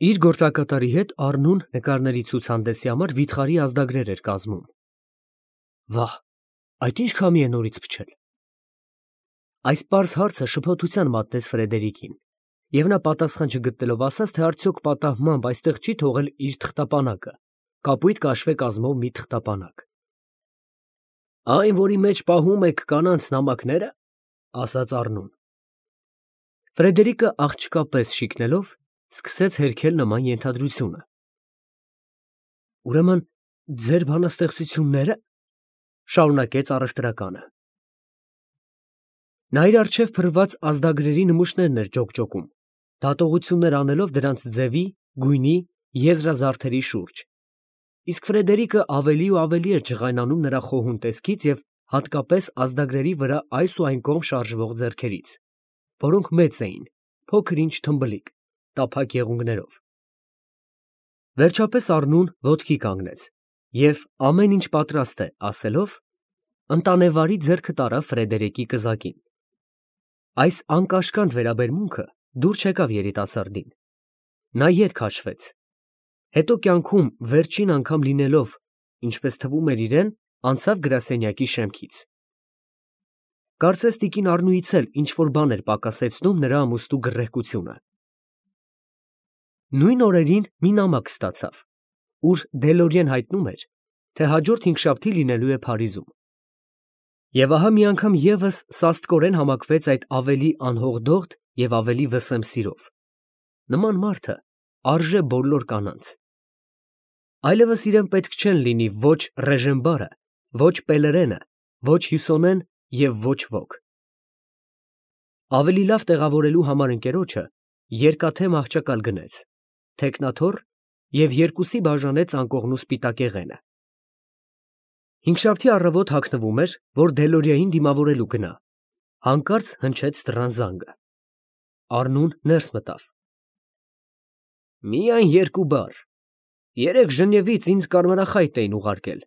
Իր գործակատարի հետ Առնուն նկարների ցուցահանդեսի համար վիթխարի ազդագրեր էր կազմում։ Վահ, այդ ինչ քամի է նորից փչել։ Այս պարզ հարցը շփոթության մատնեց Ֆրեդերիկին, և նա պատասխան չգտնելով ասաց, թե արդյոք պատահմամբ այստեղ չի թողել իր թղթապանակը, կապույտ կաշվե կազմող մի թղթապանակ։ Այն, որի մեջ պահում եք կանանց նամակները, ասաց Առնուն։ Ֆրեդերիկը աղջկա պես շիկնելով սկսեց հերքել նման ենթադրությունը։ Ուրեմն ձեր բանաստեղծություննե՞րը, շարունակեց առևտրականը։ Նա իր առջև փռված ազդագրերի նմուշներն էր ջոկջոկում, դատողություններ անելով դրանց ձևի, գույնի, եզրազարդերի շուրջ, իսկ Ֆրեդերիկը ավելի ու ավելի էր ջղայնանում նրա խոհուն տեսքից և հատկապես ազդագրերի վրա այս ու այն կողմ շարժվող ձեռքերից, որոնք մեծ էին, փոքր-ինչ թմբլիկ, տափակ եղունգներով։ Վերջապես Առնուն ոտքի կանգնեց և ամեն ինչ պատրաստ է ասելով, ընտանեվարի ձեռքը տարավ Ֆրեդերիկի կզակին։ Այս անկաշկանդ վերաբերմունքը դուր չեկավ երիտասարդին։ Նա ետ քաշվեց, հետո կյանքում վերջին անգամ լինելով, ինչպես թվում էր իրեն, անցավ գրասենյակի շեմքից։ Կարծես տիկին Առնուից էլ ինչ֊որ բան էր պակասեցնում նրա ամուսնու գռեհկությունը։ Նույն օրերին մի նամակ ստացավ, ուր Դելորիեն հայտնում էր, թե հաջորդ հինգշաբթի լինելու է Փարիզում։ Եվ ահա մի անգամ ևս սաստկորեն համակվեց այդ ավելի անհողդողդ և ավելի վսեմ սիրով։ Նման մարդը արժե բոլոր կանանց։ Այլևս իրեն պետք չեն լինի ոչ Ռեժենբարը, ոչ Պելերենը, ոչ Հյուսոնեն և ոչ ոք։ Ավելի լավ տեղավորելու համար ընկերոջը երկաթե մահճակալ գնեց, թեկնաթոռ և երկուսի բաժանեց անկողնու սպիտակեղենը։ Հինգշաբթի առավոտ հագնվում էր, որ Դելորիային դիմավորելու գնա, հանկարծ հնչեց դռան զանգը։ Առնուն ներս մտավ։ Միայն երկու բառ. երեկ Ժնևից ինձ կարմրախայտ էին ուղարկել։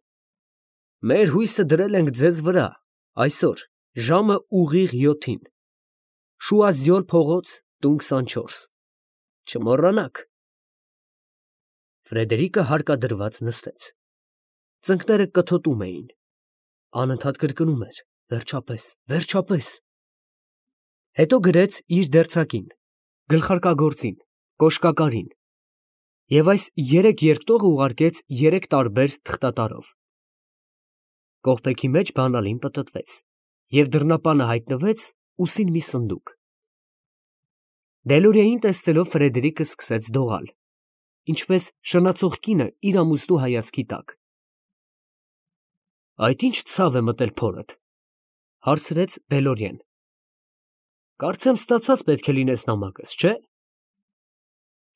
Մեր հույսը դրել ենք ձեզ վրա, այսօր, ժամը ուղիղ 7-ին, Շուազյոլ փողոց, տուն 24, չմոռանաք։ Ֆրեդերիկը հարկադրված նստեց։ Ծնկները կթոտում էին, անընդհատ կրկնում էր. վերջապես, վերջապես։ Հետո գրեց իր դերձակին, գլխարկագործին, կոշկակարին, և այս երեք երկտողը ուղարկեց երեք տարբեր թղթատարով։ Կողպեքի մեջ բանալին պտտվեց, և դռնապանը հայտնվեց ուսին մի սնդուկ։ Դելորիային տեսնելով Ֆրեդերիկը սկսեց դողալ, ինչպես շնացող կինը իր ամուսնու հայացքի տակ։ Այդ ի՞նչ ցավ է մտել փորդ, հարցրեց Դելորիեն։ Կարծեմ ստացած պետք է լինես նամակս, չէ՞։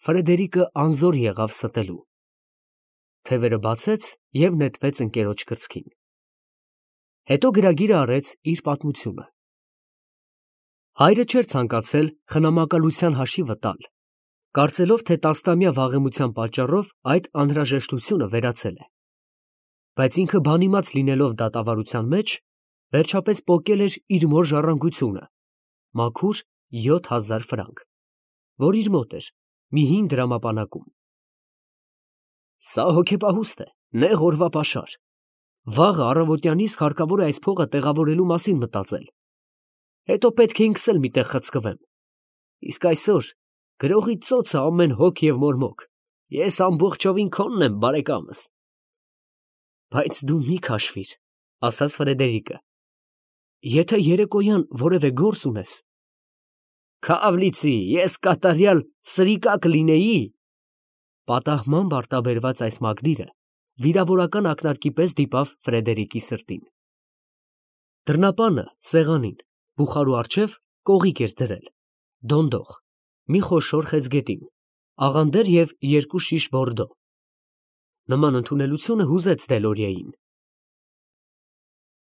Ֆրեդերիկը անզոր եղավ ստելու։ Թևերը բացեց և նետվեց ընկերոջ կրծքին։ Հետո գրագիրը արեց իր պատմությունը։ Հայրը չէր ցանկացել խնամակալության հաշիվը տալ, կարծելով, թե տասնամյա վաղեմության պատճառով այդ անհրաժեշտությունը վերացել է։ Բայց ինքը բանիմաց լինելով դատավարության մեջ, վերջապես պոկել էր իր մոր ժառանգությունը, մաքուր 7000 ֆրանկ, որ իր մոտ էր, մի հին դրամապանակում։ Սա հոգեպահուստ է, նեղ օրվա պաշար։ Վաղը առավոտյան իսկ հարկավոր է այս փողը տեղավորելու մասին մտածել։ Հետո պետք է ինքս էլ մի տեղ խցկվեմ։ Իսկ այսօր գրողի ծոցը ամեն հոգ և մորմոք, ես ամբողջովին քոնն եմ, բարեկամս։ Բայց դու մի քաշվիր, ասաց Ֆրեդերիկը, եթե երեկոյան որևէ գործ ունես։ Քավ լիցի, ես կատարյալ սրիկա կլինեի։ Պատահմամբ արտաբերված այս մակդիրը վիրավորական ակնարկի պես դիպավ Ֆրեդերիկի սրտին։ Դռնապանը սեղանին, բուխարու առջև կողիկ էր դրել, դոնդող, մի խոշոր խեցգետին, աղանդեր և 2 շիշ բորդո։ Նման ընդունելությունը հուզեց Դելորիային։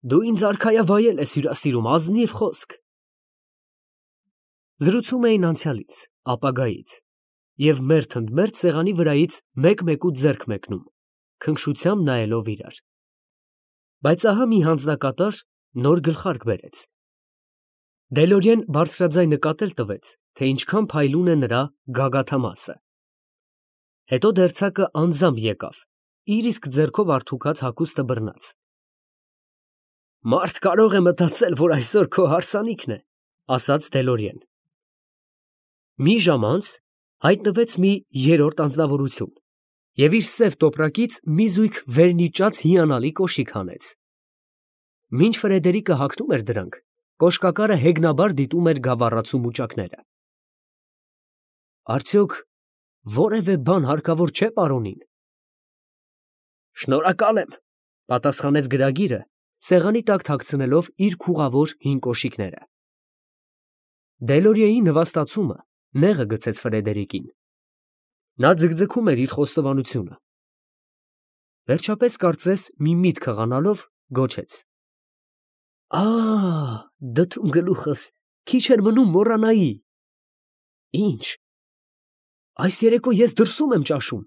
Դու ինձ արքայավայել ես հյուրասիրում, ազնիվ խոսք։ Զրուցում էին անցյալից, ապագայից, և մերթ ընդ մերթ սեղանի վրայից մեկ֊մեկուց ձեռք մեկնում, քնքշությամբ նայելով իրար։ Բայց ահա մի հանձնակատար նոր գլխարկ բերեց։ Դելորիեն բարձրաձայն նկատել տվեց, թե ինչքան փայլուն է նրա գագաթամասը։ Հետո դերձակը անձամբ եկավ, իր իսկ ձեռքով արդուքած հագուստը բռնած։ Մարդ կարող է մտածել, որ այսօր քո հարսանիքն է, ասաց Դելորիեն։ Մի ժամ անց հայտնվեց մի երրորդ անձնավորություն և իր սև տոպրակից մի զույգ վերնիճած հիանալի կոշիկ հանեց։ Մինչ Ֆրեդերիկը հագնում էր դրանք, կոշկակարը հեգնաբար դիտում էր գավառացու մուճակները։ Արդյոք որևէ բան հարկավոր չէ պարոնին։ Շնորհակալ եմ, պատասխանեց գրագիրը, սեղանի տակ թաքցնելով իր քուղավոր հին կոշիկները։ Դելորիեի նվաստացումը նեղը գցեց Ֆրեդերիկին։ Նա ձգձգում էր իր խոստովանությունը։ Վերջապես կարծես մի միտք հղանալով գոչեց. Դդում գլուխս, քիչ էր մնում մոռանայի։ Ինչ։ Այս երեկո ես դրսում եմ ճաշում։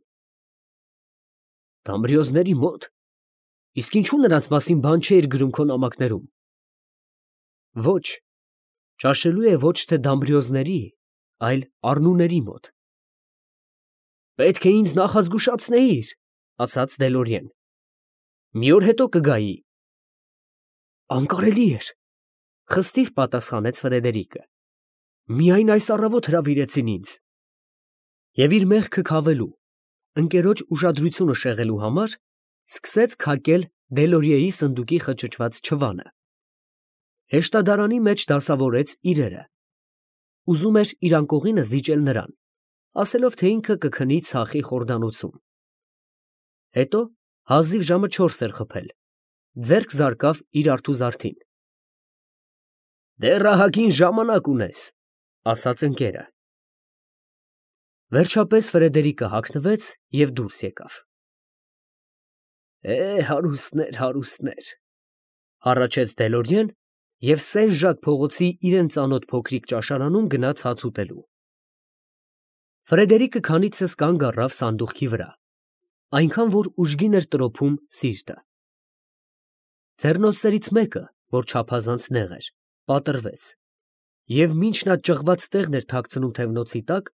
Դամբրիոզների մոտ։ Իսկ ինչու նրանց մասին բան չէիր գրում քո նամակներում։ Ոչ, ճաշելու է ոչ թե դամբրիոզների, այլ առնուների մոտ։ Պետք է ինձ նախազգուշացնեիր, ասաց Դելորիեն։ Մի օր հետո կգայի։ Անկարելի էր, խստիվ պատասխանեց Ֆրեդերիկը։ Միայն այս առավոտ հրավիրեցին ինձ։ Եվ իր մեղքը քավելու, ընկերոջ ուշադրությունը շեղելու համար սկսեց քակել Դելորիեի սնդուկի խճճված չվանը։ Հեշտադարանի մեջ դասավորեց իրերը։ Ուզում էր իր անկողինը զիջել նրան, ասելով, թե ինքը կքնի ցախի խորդանոցում։ Հետո հազիվ ժամը 4 էր խփել, ձեռք զարկավ իր արթու զարդին։ Դեռ ահագին ժամանակ ունես, ասաց ընկերը։ Վերջապես Ֆրեդերիկը հագնվեց և դուրս եկավ։ Հարուստներ, հարուստներ, հառաչեց Դելորիեն և Սեն֊Ժակ փողոցի իրան ծանոթ փոքրիկ ճաշարանում գնաց հաց ուտելու։ Ֆրեդերիկը քանիցս կանգ առավ սանդուղքի վրա, այնքան որ ուժգին էր տրոփում սիրտը։ Ձեռնոցներից մեկը, որ չափազանց նեղ էր, պատռվեց, և մինչ նա ճղված տեղն էր թաքցնում թևնոցի տակ,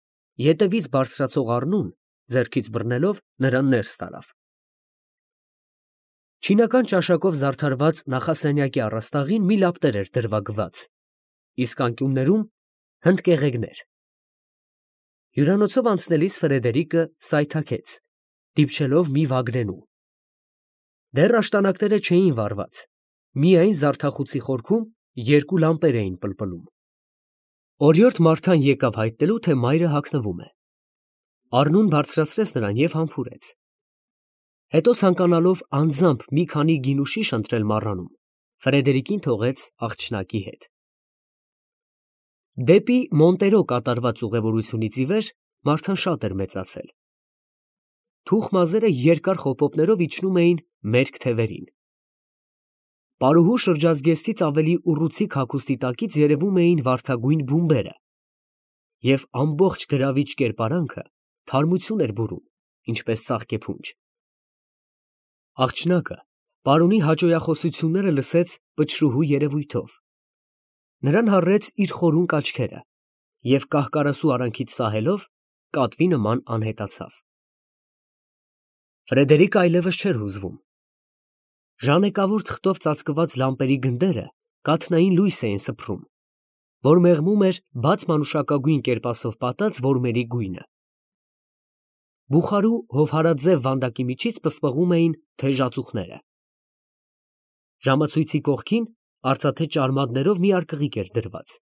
ետևից բարձրացող առնուն, ձեռքից բռնելով, նրան ներս տարավ։ Չինական ճաշակով զարդարված նախասենյակի առաստաղին մի լապտեր էր դրվագված, իսկ անկյուններում հնդկեղեգներ։ Հյուրանոցով անցնելիս Ֆրեդերիկը սայթաքեց, դիպչելով մի վագրենու։ Դեռ աշտանակները չէին վառված, միայն զարդախուցի խորքում երկու լամպեր էին պլպլում։ Օրիորդ Մարթան եկավ հայտնելու, թե մայրը հագնվում է։ Առնուն բարձրացրեց նրան և համբուրեց։ Հետո ցանկանալով անձամբ մի քանի գինուշիշ ընտրել մառանում, Ֆրեդերիկին թողեց աղջնակի հետ։ Դեպի Մոնտերո կատարված ուղևորությունից ի վեր Մարթան շատ էր մեծացել։ Թուխ մազերը երկար խոպոպներով իջնում էին մերկ թևերին։ Պարուհու շրջազգեստից ավելի ուռուցիկ հագուստի տակից երևում էին վարդագույն բումբերը, և ամբողջ գրավիչ կերպարանքը թարմություն էր բուրում, ինչպես ծաղկեփունջ։ Աղջնակը պարոնի հաճոյախոսությունները լսեց պչրուհու երևույթով։ Նրան հարրեց իր խորունկ աչքերը և կահ֊կարասու արանքից սահելով կատվի նման անհետացավ։ Ֆրեդերիկը այլևս չէր հուզվում։ Ժանեկավոր թղթով ծածկված լամպերի գնդերը կաթնային լույս էին սփռում, որ մեղմում էր բաց մանուշակագույն կերպասով պատած որմերի գույնը։ Բուխարու հովհարաձև վանդակի միջից պսպղում էին թեժ ածուխները։ Ժամացույցի կողքին արծաթե ճարմադներով մի արկղիկ էր դրված։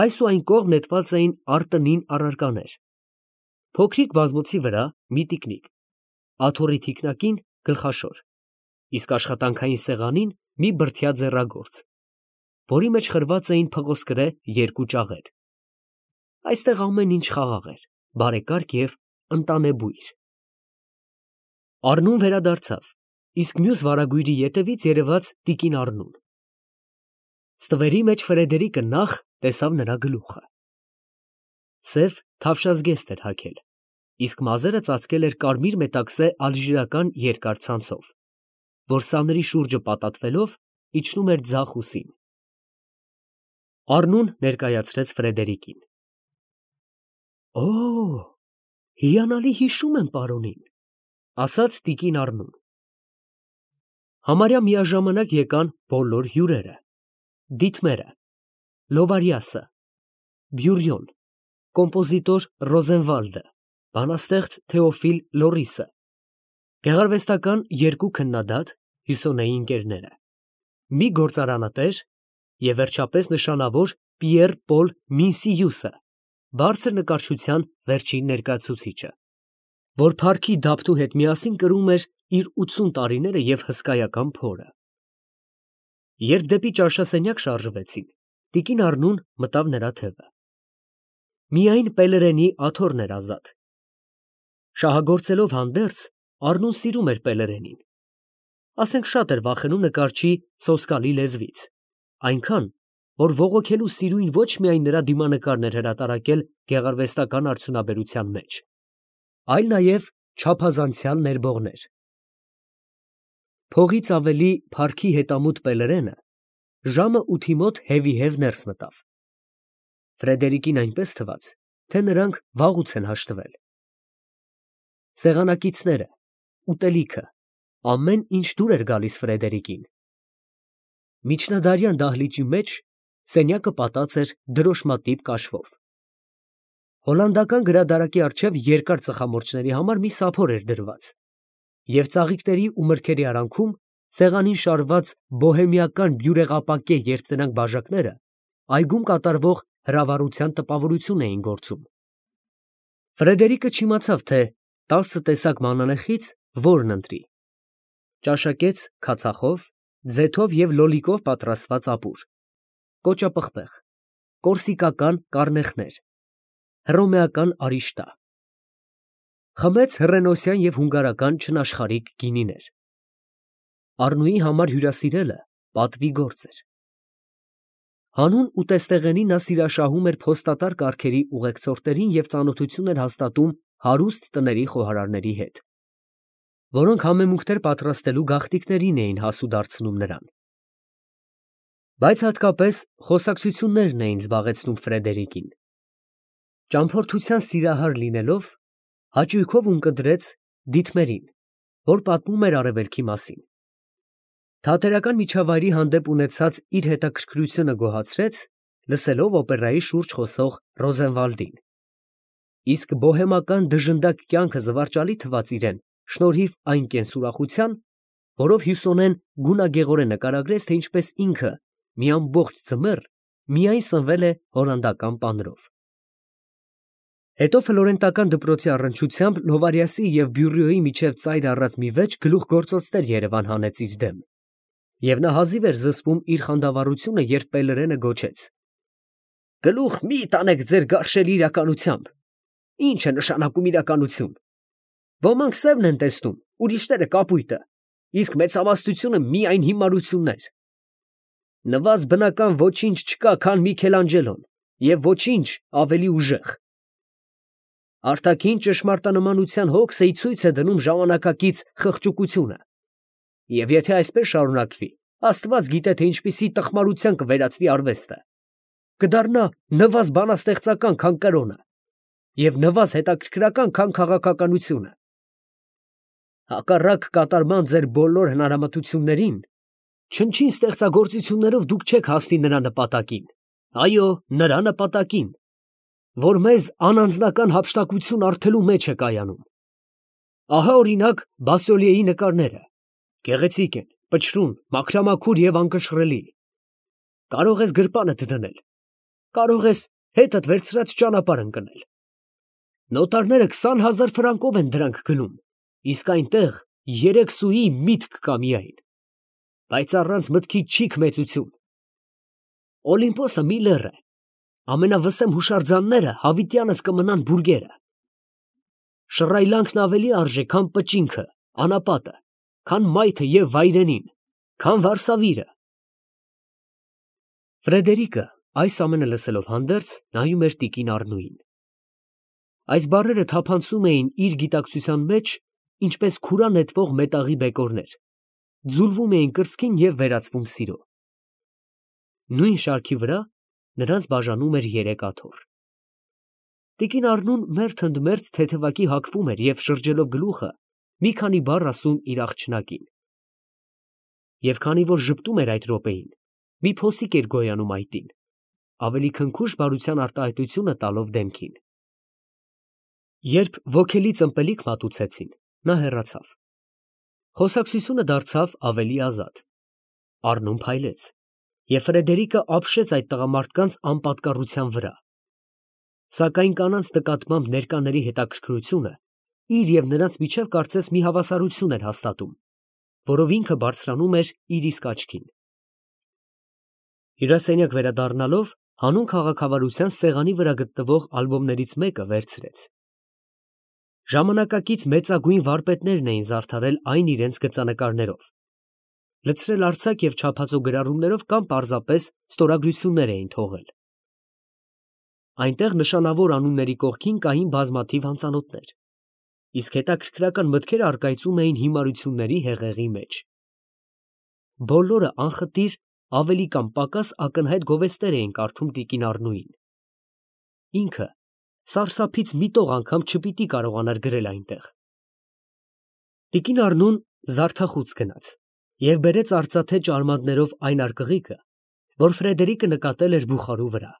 Այս ու այն կողմ նետված էին արտնին առարկաներ։ Փոքրիկ բազմոցի վրա մի տիկնիկ, աթոռի թիկնակին գլխաշոր, իսկ աշխատանքային սեղանին մի բրդյա ձեռագործ, որի մեջ խրված էին փղոսկրե երկու ճաղեր։ Այստեղ ամեն ինչ խաղաղ էր, բարեկարգ և ընտանեբույր։ Առնուն վերադարձավ, իսկ մյուս վարագույրի ետևից երևաց տիկին Առնուն։ Ստվերի մեջ Ֆրեդերիկը նախ տեսավ նրա գլուխը։ Սև թավշազգեստ էր հագել, իսկ մազերը ծածկել էր կարմիր մետաքսե ալժիրական երկար ցանցով, որ սաների շուրջը պատատվելով իջնում էր ձախ ուսին։ Առնուն ներկայացրեց Ֆրեդերիկին։ Հիանալի հիշում եմ պարոնին, ասաց տիկին Առնուն։ Համարյա միաժամանակ եկան բոլոր հյուրերը, դիտմերը, Լովարյասը, Բյուրյոն, կոմպոզիտոր Ռոզենվալդը, բանաստեղծ Թեոֆիլ Լորիսը, գեղարվեստական երկու քննադատ Հյուսոնեի ընկերները, մի գործարանատեր և վերջապես նշանավոր Պիեր Պոլ Մինսիյուսը, բարձր նկարչության վերջին ներկայացուցիչը, որ փառքի դափնու հետ միասին կրում էր իր 80 տարիները և հսկայական փորը։ Երբ դեպի ճաշասենյակ շարժվեցին, տիկին Առնուն մտավ նրա թևը։ Միայն Պելերենի աթոռն էր ազատ։ Շահագործելով հանդերձ, Առնուն սիրում էր Պելերենին։ Ասենք շատ էր վախենում նկարչի սոսկալի լեզվից, այնքան, որ բողոքելու սիրույն ոչ միայն նրա դիմանկարն էր հրատարակել գեղարվեստական արդյունաբերության մեջ, այլ նաև չափազանցյալ ներբողներ։ Փողից ավելի փառքի հետամուտ Պելերենը ժամը 8-ի մոտ հևիհև ներս մտավ։ Ֆրեդերիկին այնպես թվաց, թե նրանք վաղուց են հաշտվել։ Սեղանակիցները, ուտելիքը, ամեն ինչ դուր էր գալիս Ֆրեդերիկին։ Միջնադարյան դահլիճի մեջ սենյակը պատած էր դրոշմատիպ կաշվով։ Հոլանդական գրադարակի առջև երկար ծխամորճների համար մի սափոր էր դրված, և ծաղիկների ու մրգերի արանքում սեղանին շարված բոհեմիական բյուրեղապակե երկտնակ բաժակները այգում կատարվող հրավառության տպավորություն էին գործում։ Ֆրեդերիկը չիմացավ, թե 10 տեսակ մանանեխից որն ընտրի։ Ճաշակեց քացախով, ձեթով և լոլիկով պատրաստված ապուր, կոճապղպեղ, կորսիկական կառնեխներ, հռոմեական արիշտա, խմեց հռենոսյան և հունգարական չնաշխարհիկ գինիներ։ Առնուի համար հյուրասիրելը պատվի գործ էր։ Հանուն ուտեստեղենի նա սիրաշահում էր փոստատար կարգերի ուղեկցորդներին և ծանոթություն էր հաստատում հարուստ տների խոհարարների հետ, որոնք համեմունքներ պատրաստելու գաղտնիքներին էին հասու դարձնում նրան։ Բայց հատկապես խոսակցություններն էին զբաղեցնում Ֆրեդերիկին։ Ճամփորդության սիրահար լինելով, հաճույքով ունկնդրեց դիտմերին, որ պատմում էր արևելքի մասին։ Թատերական միջավայրի հանդեպ ունեցած իր հետաքրքրությունը գոհացրեց, լսելով օպերայի շուրջ խոսող Ռոզենվալդին, իսկ բոհեմական դժնդակ կյանքը զվարճալի թվաց իրեն շնորհիվ այն կենսուրախության, որով Հյուսոնեն գունագեղորեն նկարագրեց, թե ինչպես ինքը մի ամբողջ ձմեռ միայն սնվել է հոլանդական պանրով։ Հետո ֆլորենտական դպրոցի առնչությամբ Լովարյասի և Բյուրիոյի միջև ծայր առած մի վեճ գլուխգործոցներ Երևան հանեց իր դեմ, և նա հազիվ էր զսպում իր խանդավառությունը, երբ Պելերենը գոչեց. «Գլուխ մի տանեք ձեր գարշելի իրականությամբ։ Ի՞նչ է նշանակում իրականություն։ Ոմանք սևն են տեսնում, ուրիշները կապույտը, իսկ մեծամասնությունը միայն հիմարություններ։ Նվազ բնական ոչինչ չկա, քան Միքելանջելոն, և ոչինչ ավելի ուժեղ։ Արտաքին ճշմարտանմանության հոգսը ի ցույց է դնում ժամանակակից խղճուկությունը, և եթե այսպես շարունակվի, Աստված գիտե, թե ինչպիսի տխմարության կվերածվի արվեստը, կդառնա նվազ բանաստեղծական, քան կրոնը, և նվազ հետաքրքրական, քան քաղաքականությունը։ Հակառակ կատարման ձեր բոլոր հնարամտություններին, չնչին ստեղծագործություններով դուք չեք հասնի նրա նպատակին, այո, նրա նպատակին, որ մեզ անանձնական հափշտակություն առթելու մեջ է կայանում։ Ահա օրինակ Բասոլիեի նկարները, գեղեցիկ են, պչրուն, մաքրամաքուր և անկշռելի։ Կարող ես գրպանդ դնել, կարող ես հետդ վերցրած ճանապարհ ընկնել։ Նոտարները 20,000 ֆրանկով են դրանք գնում, իսկ այնտեղ 3 սուի միտք կա միայն, բայց առանց մտքի չիք մեծություն։ Օլիմպոսը մի լեռ է, ամենավսեմ հուշարձանները հավիտյանս կմնան բուրգերը։ Շռայլանքն ավելի արժե, քան պճինքը, անապատը, քան մայթը և վայրենին, քան վարսավիրը։ Ֆրեդերիկը այս ամենը լսելով հանդերձ նայում էր տիկին Առնուին։ Այս բառերը թափանցում էին իր գիտակցության մեջ, ինչպես քուրա նետվող մետաղի բեկորներ, ձուլվում էին կրծքին և վերածվում սիրո։ Նույն շարքի վրա նրանց բաժանում էր 3 աթոռ։ Տիկին Առնուն մերթ ընդ մերթ թեթևակի հագվում էր և շրջելով գլուխը մի քանի բառ ասում իր աղջնակին։ Եվ քանի որ ժպտում էր այդ րոպեին, մի փոսիկ էր գոյանում այտին, ավելի քնքուշ բարության արտահայտությունը տալով դեմքին։ Երբ ոգելից ըմպելիք մատուցեցին, նա հեռացավ։ Խոսակցությունը դարձավ ավելի ազատ։ Առնուն փայլեց, և Ֆրեդերիկը ապշեց այդ տղամարդկանց անպատկառության վրա։ Սակայն կանանց նկատմամբ ներկաների հետաքրքրությունը իր և նրանց միջև կարծես մի հավասարություն էր հաստատում, որով ինքը բարձրանում էր իր իսկ աչքին։ Հյուրասենյակ վերադառնալով, հանուն քաղաքավարության սեղանի վրա գտնվող ալբոմներից մեկը վերցրեց։ Ժամանակակից մեծագույն վարպետներն էին զարդարել այն իրենց գծանկարներով, լցրել արձակ և չափածո գրառումներով կամ պարզապես ստորագրություններ էին թողել։ Այնտեղ նշանավոր անունների կողքին կային բազմաթիվ անծանոթներ, իսկ հետաքրքրական մտքեր առկայծում էին հիմարությունների հեղեղի մեջ։ Բոլորը անխտիր ավելի կամ պակաս ակնհայտ գովեստներ էին կարդում տիկին Առնուին։ Ինքը սարսափից միտող անգամ չպիտի կարողանար գրել այնտեղ։ Տիկին Առնուն զարդախուց գնաց և բերեց արծաթե ճարմատներով այն արկղիկը, որ Ֆրեդերիկը նկատել էր բուխարու վրա։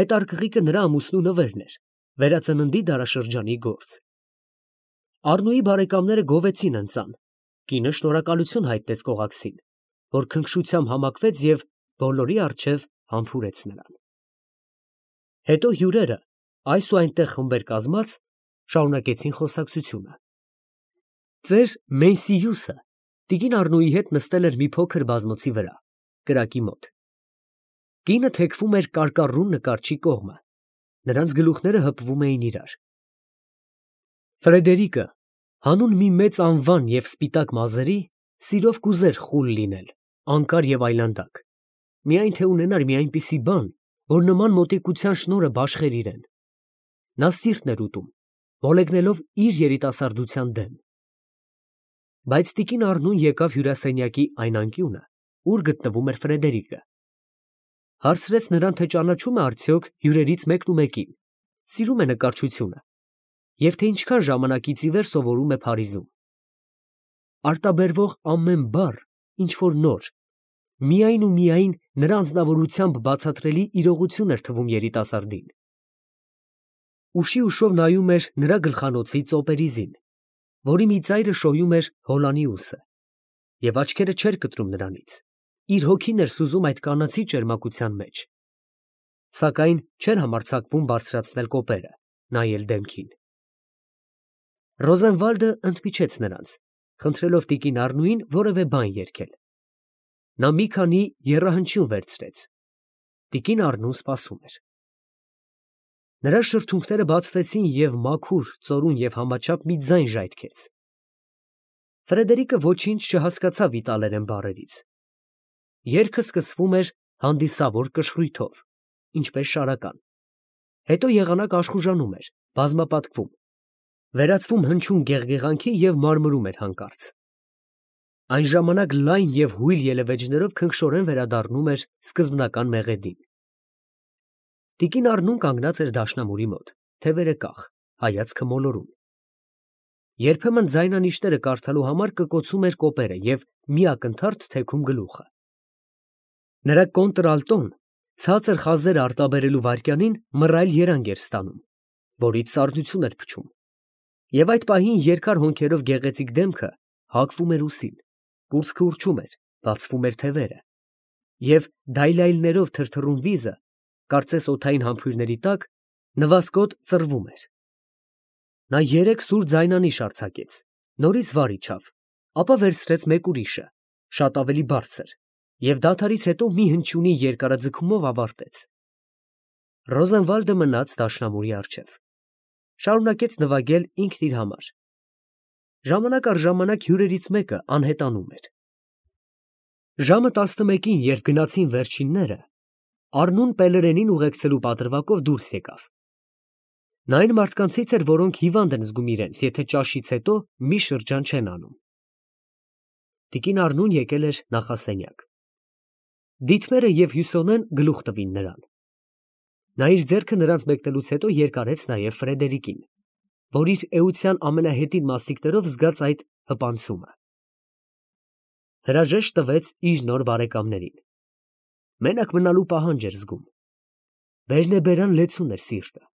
Այդ արկղիկը նրա ամուսնու նվերն էր, վերածննդի դարաշրջանի գործ։ Առնուի բարեկամները գովեցին ընծան, կինը շնորհակալություն հայտնեց կողակցին, որ քնքշությամբ համակվեց և բոլորի առջև համբուրեց նրան։ Հետո հյուրերը, այս ու այնտեղ խմբեր կազմած, շարունակեցին խոսակցությունը։ Ծեր Մենսիյուսը տիկին Առնուի հետ նստել էր մի փոքր բազմոցի վրա, կրակի մոտ։ Կինը թեքվում էր կարկառուն նկարչի կողմը, նրանց գլուխները հպվում էին իրար։ Ֆրեդերիկը, հանուն մի մեծ անվան և սպիտակ մազերի, սիրով կուզեր խուլ լինել, անկար և այլանդակ, միայն թե ունենար մի այնպիսի բան, որ նման մոտիկության շնորհը բաշխեր իրեն։ Նա սիրտն էր ուտում, մոլեգնելով իր երիտասարդության դեմ։ Բայց տիկին Առնուն եկավ հյուրասենյակի այն անկյունը, ուր գտնվում էր Ֆրեդերիկը։ Հարցրեց նրան, թե ճանաչում է արդյոք հյուրերից մեկնումեկին, սիրում է նկարչությունը և թե ինչքան ժամանակից ի վեր սովորում է Փարիզում։ Արտաբերվող ամեն բառ ինչ֊որ նոր, միայն ու միայն նրա անձնավորությամբ բացատրելի իրողություն էր թվում երիտասարդին։ Ուշի ուշով նայում էր նրա գլխանոցի ծոպերիզին, որի մի ծայրը շոյում էր հոլանիուսը, և աչքերը չէր կտրում նրանից, իր հոգին էր սուզում այդ կանացի ճերմակության մեջ։ Սակայն չէր համարձակվում բարձրացնել կոպերը, նայել դեմքին։ Ռոզենվալդը ընդմիջեց նրանց, խնդրելով տիկին Առնուին որևէ բան երգել։ Նա մի քանի եռահնչյուն վերցրեց։ Տիկին Առնուն սպասում էր։ Նրա շրթունքները բացվեցին և մաքուր, ծորուն և համաչափ մի ձայն ժայթքեց։ Ֆրեդերիկը ոչինչ չհասկացավ իտալերեն բառերից։ Երգը սկսվում էր հանդիսավոր կշռույթով, ինչպես շարական, հետո եղանակ աշխուժանում էր, բազմապատկվում, վերածվում հնչյուն գեղգեղանքի և մարմրում էր հանկարծ։ Այն ժամանակ լայն և հույլ ելևէջներով քնքշորեն վերադառնում էր սկզբնական մեղեդին։ Տիկին Առնուն կանգնած էր դաշնամուրի մոտ, թևերը կախ, հայացքը մոլորուն։ Երբեմն ձայնանիշները կարդալու համար կկոցում էր կոպերը և մի ակնթարթ թեքում գլուխը։ Նրա կոնտրալտոն ցածր խազերը արտաբերելու վայրկյանին մռայլ երանգ էր ստանում, որից սառնություն էր փչում, և այդ պահին երկար հոնքերով գեղեցիկ դեմքը հագվում էր ուսին, կուրծքը ուռչում էր, բացվում էր թևերը, և դայլայլներով թրթռուն վիզը, կարծես օդային համբույրների տակ, նվազկոտ ծռվում էր։ Նա երեք սուր ձայնանիշ արձակեց, նորից վար իջավ, ապա վերցրեց մեկ ուրիշը, շատ ավելի բարձր, և դադարից հետո մի հնչյունի երկարաձգումով ավարտեց։ Ռոզենվալդը մնաց դաշնամուրի առջև, շարունակեց նվագել ինքն իր համար։ Ժամանակ առ ժամանակ հյուրերից մեկը անհետանում էր։ Ժամը 11-ին, երբ գնացին վերջինները, Առնուն Պելերենին ուղեկցելու պատրվակով դուրս եկավ։ Նա այն մարդկանցից էր, որոնք հիվանդ են զգում իրենց, եթե ճաշից հետո մի շրջան չեն անում։ Տիկին Առնուն եկել էր նախասենյակ։ Դիտմերը և Հյուսոնեն գլուխ տվին նրան։ Նա իր ձեռքը նրանց մեկնելուց հետո երկարեց նաև Ֆրեդերիկին, որ իր էության ամենահետին մասնիկներով զգաց այդ հպանցումը։ Հրաժեշտ տվեց իր նոր բարեկամներին։ Մենակ մնալու պահանջ էր զգում։ Բերնեբերան լեցուն էր սիրտը։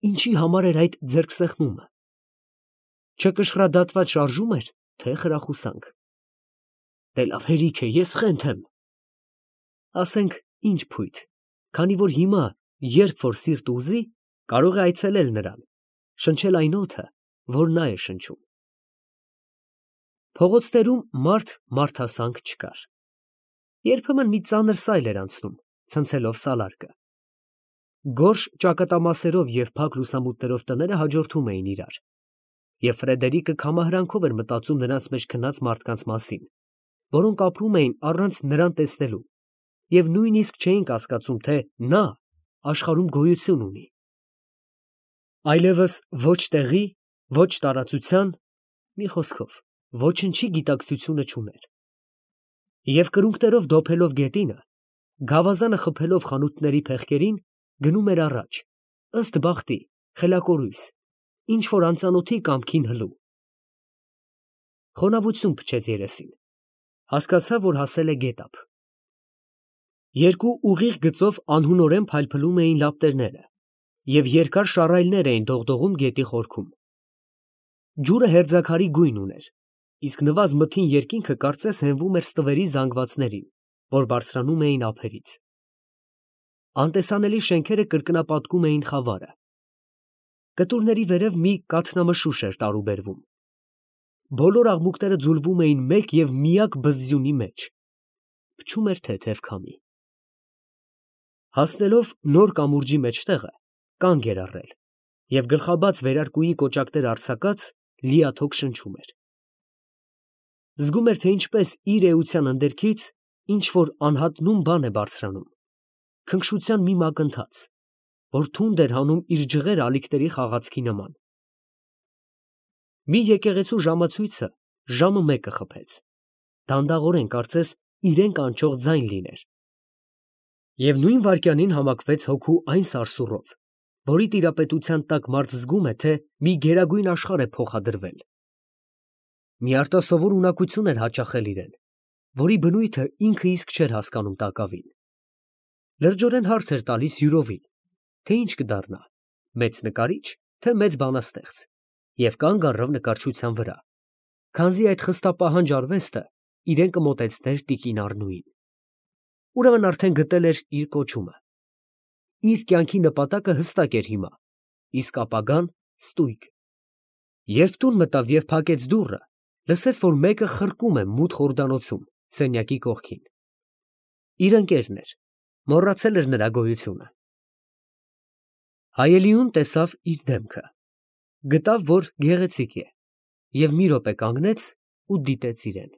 Ինչի համար էր այդ ձեռքսեղմումը։ Չկշռադատված շարժում էր, թե խրախուսանք։ Դե լավ հերիք է, ես խենթ եմ։ Ասենք ինչ փույթ, քանի որ հիմա, երբ որ սիրտ ուզի, կարող է այցելել նրան, շնչել այն օդը, որ նա է շնչում։ Փողոցներում մարդասանք չկար։ Երբեմն մի ծանր սայլ էր անցնում, ցնցելով սալարկը։ Գորշ ճակատամասերով և փակ լուսամուտներով տները հաջորդում էին իրար, և Ֆրեդերիկը քամահրանքով էր մտածում նրանց մեջ քնած մարդկանց մասին, որոնք ապրում էին առանց նրան տեսնելու և նույնիսկ չէին կասկածում, թե նա աշխարհում գոյություն ունի։ Այլևս ոչ տեղի, ոչ տարածության, մի խոսքով, ոչնչի գիտակցությունը չուներ։ Եվ կրունկներով դոփելով գետինը, գավազանը խփելով խանութների փեղկերին, գնում էր առաջ, ըստ բախտի, խելակորույս, ինչ որ անծանոթի կամքին հլու։ Խոնավություն փչեց երեսին, հասկացավ, որ հասել է գետափ։ Երկու ուղիղ գծով անհունորեն փայլփլում էին լապտերները, և երկար շառայլներ էին դողդողում գետի խորքում։ Ջուրը հերձաքարի գույն ուներ, իսկ նվազ մթին երկինքը կարծես հենվում էր ստվերի զանգվածներին, որ բարձրանում էին ափերից։ Անտեսանելի շենքերը կրկնապատկում էին խավարը։ Կտուրների վերև մի կաթնամշուշ էր տարուբերվում։ Բոլոր աղմուկները ձուլվում էին մեկ և միակ բզձյունի մեջ։ Փչում էր թեթև քամի։ Հասնելով նոր կամուրջի մեջտեղը, կանգ էր առել և գլխաբաց վերարկուի կոճակներ արձակած, լիաթոք շնչում էր։ Զգում էր, թե ինչպես իր էության ընդերքից ինչ որ անհատնում բան է բարձրանում, քնքշության մի մակընթաց, որ թունդ էր հանում իր ջղերը ալիքների խաղացքի նման։ Մի եկեղեցու ժամացույցը ժամը 1-ը խփեց, դանդաղորեն, կարծես իրեն կանչող ձայն լիներ։ Եվ նույն վայրկյանին համակվեց հոգու այն սարսուռով, որի տիրապետության տակ մարդ զգում է, թե մի գերագույն աշխարհ է փոխադրվել։ Մի արտասովոր ունակություն էր հաճախել իրեն, որի բնույթը ինքը իսկ չէր հասկանում տակավին։ Լրջորեն հարց էր տալիս յուրովի, թե ինչ կդառնա, մեծ նկարիչ, թե մեծ բանաստեղծ, և կանգ առավ նկարչության վրա, քանզի այդ խստապահանջ արվեստը իրեն կմոտեցներ տիկին Առնուին։ Ուրեմն արդեն գտել էր իր կոչումը։ Իր կյանքի նպատակը հստակ էր հիմա, իսկ ապագան ստույգ։ Երբ տուն մտավ և փակեց դուռը, լսեց, որ մեկը խրկում է մութ խորդանոցում, սենյակի կողքին։ Իր ընկերն էր, մոռացել էր նրա գոյությունը։ Հայելիուն տեսավ իր դեմքը, գտավ, որ գեղեցիկ է, և մի րոպե կանգնեց ու դիտեց իրեն։